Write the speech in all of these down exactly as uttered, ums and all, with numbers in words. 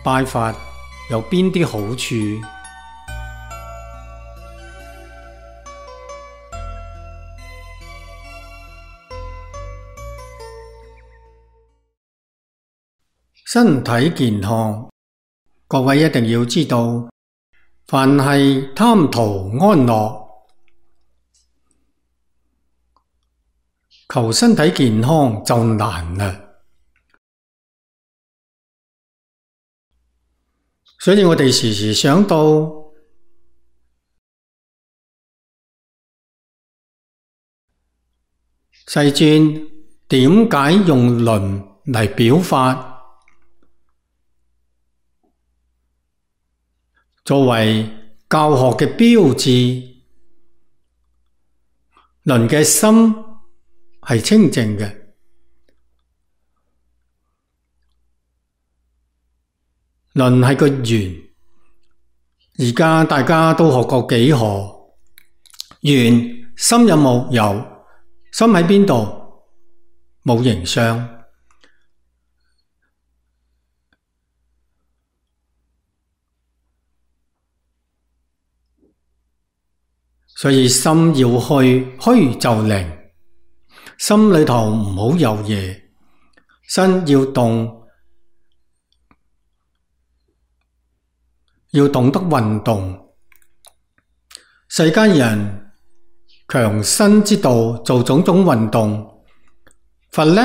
拜佛有邊啲好處？身體健康，各位一定要知道，凡係貪圖安樂，求身體健康就難啦。所以我哋時時想到，世尊點解用輪嚟表法？作為教學嘅標誌，輪嘅心係清淨嘅，輪係個圓。而家大家都學過幾何，圓心有冇？有。心喺邊度？冇形相。所以心要虛，虛就靈。心裏頭唔好有嘢，身要動，要懂得運動。世間人強身之道，做種種運動。佛呢，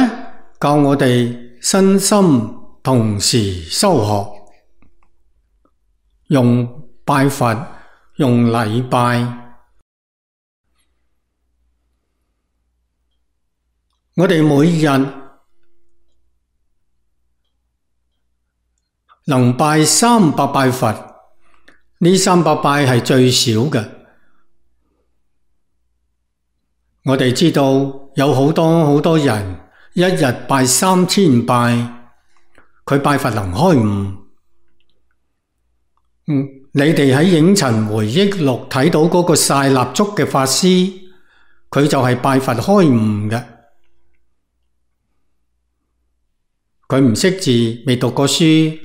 教我哋身心同時修學，用拜佛，用禮拜。我哋每日能拜三百拜佛，呢三百拜係最少嘅。我哋知道有好多好多人一日拜三千拜，佢拜佛能開悟。嗯，你哋喺影塵回憶錄睇到嗰個曬蠟燭嘅法師，佢就係拜佛開悟嘅。佢唔識字，未讀過書，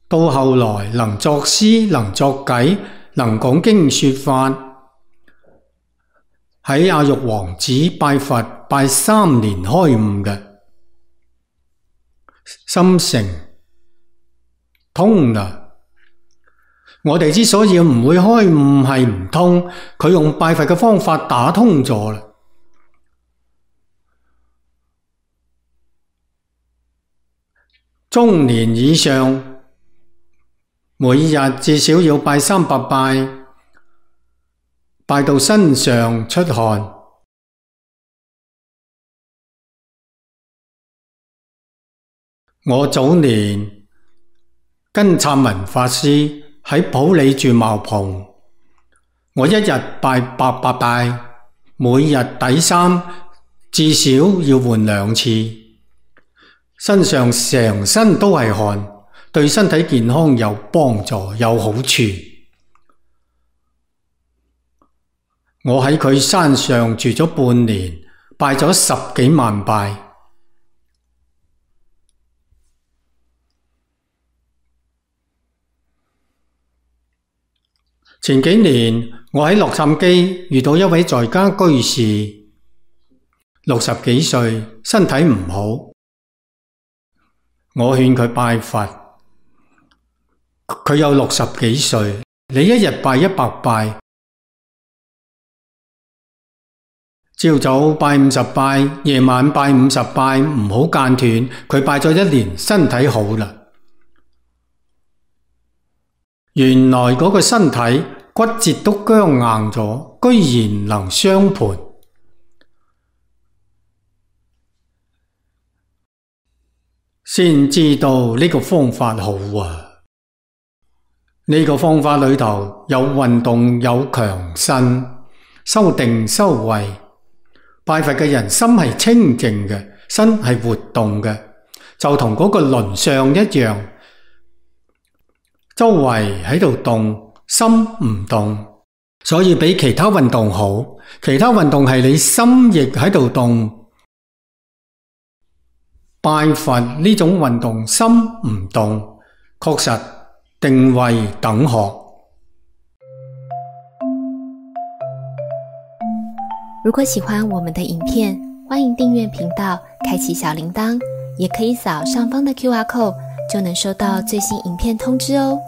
到後來能作詩，能作偈，能講經說法。喺阿育王子拜佛拜三年開悟嘅，心成通啦。我哋之所以唔會開悟係唔通，佢用拜佛嘅方法打通咗啦。中年以上，每日至少要拜三百拜，拜到身上出汗。我早年跟燦文法師喺普洱住茅棚，我一日拜八百拜，每日底衫至少要換兩次。身上成身都係汗，對身體健康有幫助，有好處。我喺佢山上住咗半年，拜咗十幾萬拜。前幾年我喺洛杉磯遇到一位在家居士，六十幾歲，身體唔好。我勸佢拜佛，佢有六十幾歲，你一日拜一百拜，朝早拜五十拜，夜晚拜五十拜，唔好間斷。佢拜咗一年，身體好啦。原來嗰個身體骨節都僵硬咗，居然能雙盤。先知道呢個方法好啊！呢個方法裏頭有運動，有強身，修定修慧。拜佛嘅人心係清淨嘅，身係活動嘅，就同嗰個輪相一樣，周圍喺度動，心唔動，所以比其他運動好。其他運動係你心亦喺度動。拜佛呢種運動心唔動，確實定位等學。如果喜欢我们的影片，欢迎订阅频道，开启小铃铛，也可以扫上方的 Q R code， 就能收到最新影片通知哦。